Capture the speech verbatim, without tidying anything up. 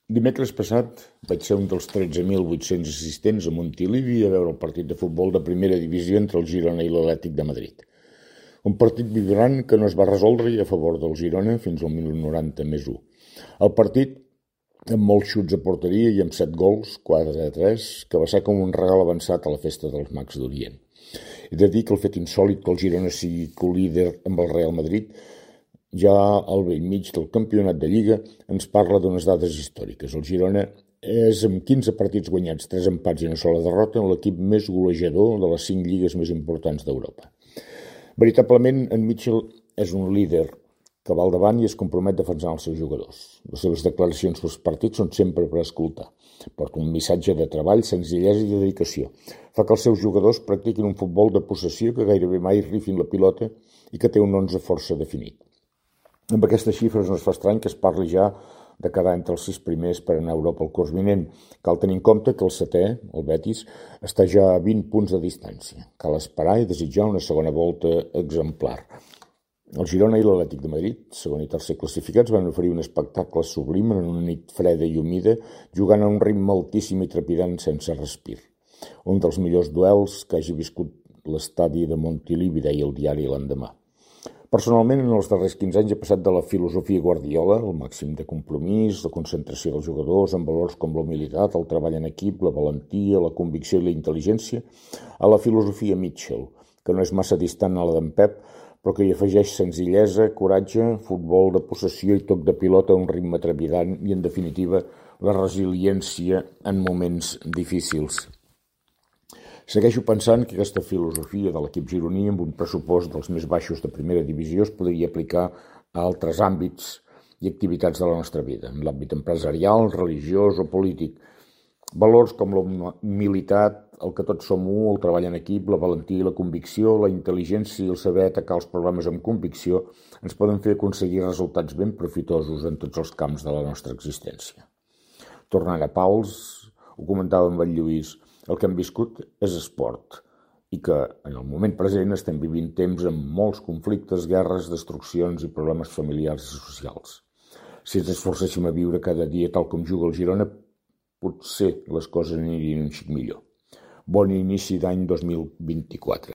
Dimecres passat vaig ser un dels tretze mil vuit-cents assistents a Montilivi a veure el partit de futbol de primera divisió entre el Girona i l'Atlètic de Madrid. Un partit vibrant que no es va resoldre i a favor del Girona fins al minut noranta més u. El partit, amb molts xuts a porteria i amb set gols, quatre a tres, que va ser com un regal avançat a la festa dels Mags d'Orient. He de dir que el fet insòlit que el Girona sigui co-líder amb el Real Madrid ja al bell mig del campionat de Lliga ens parla d'unes dades històriques. El Girona és, amb quinze partits guanyats, tres empats i una sola derrota, l'equip més golejador de les cinc lligues més importants d'Europa. Veritablement, en Mitchell és un líder que va al davant i es compromet defensant els seus jugadors. Les seves declaracions pels partits són sempre per escoltar. Porta un missatge de treball, senzillesa i dedicació. Fa que els seus jugadors practiquin un futbol de possessió que gairebé mai rifin la pilota i que té un onze força definit. Amb aquestes xifres no es fa estrany que es parli ja de quedar entre els sis primers per anar a Europa el curs vinent. Cal tenir en compte que el setè, el Betis, està ja a vint punts de distància. Cal esperar i desitjar una segona volta exemplar. El Girona i l'Atlètic de Madrid, segon i tercer classificats, van oferir un espectacle sublim en una nit freda i humida, jugant a un ritme altíssim i trepidant sense respir. Un dels millors duels que hagi viscut l'estadi de Montilivi, deia el diari l'endemà. Personalment, en els darrers quinze anys he passat de la filosofia Guardiola, el màxim de compromís, la concentració dels jugadors amb valors com la humilitat, el treball en equip, la valentia, la convicció i la intel·ligència, a la filosofia Mitchell, que no és massa distant a la d'en Pep, però que hi afegeix senzillesa, coratge, futbol de possessió i toc de pilota a un ritme trepidant i, en definitiva, la resiliència en moments difícils. Segueixo pensant que aquesta filosofia de l'equip gironí amb un pressupost dels més baixos de primera divisió es podria aplicar a altres àmbits i activitats de la nostra vida, en l'àmbit empresarial, religiós o polític. Valors com la humilitat, el que tots som u, el treball en equip, la valentia i la convicció, la intel·ligència i el saber atacar els problemes amb convicció ens poden fer aconseguir resultats ben profitosos en tots els camps de la nostra existència. Tornant a Pals, ho comentava amb el Lluís, el que hem viscut és esport i que en el moment present estem vivint temps amb molts conflictes, guerres, destruccions i problemes familiars i socials. Si ens esforcéssim a viure cada dia tal com juga el Girona, potser les coses anirien un xic millor. Bon inici d'any dos mil vint-i-quatre.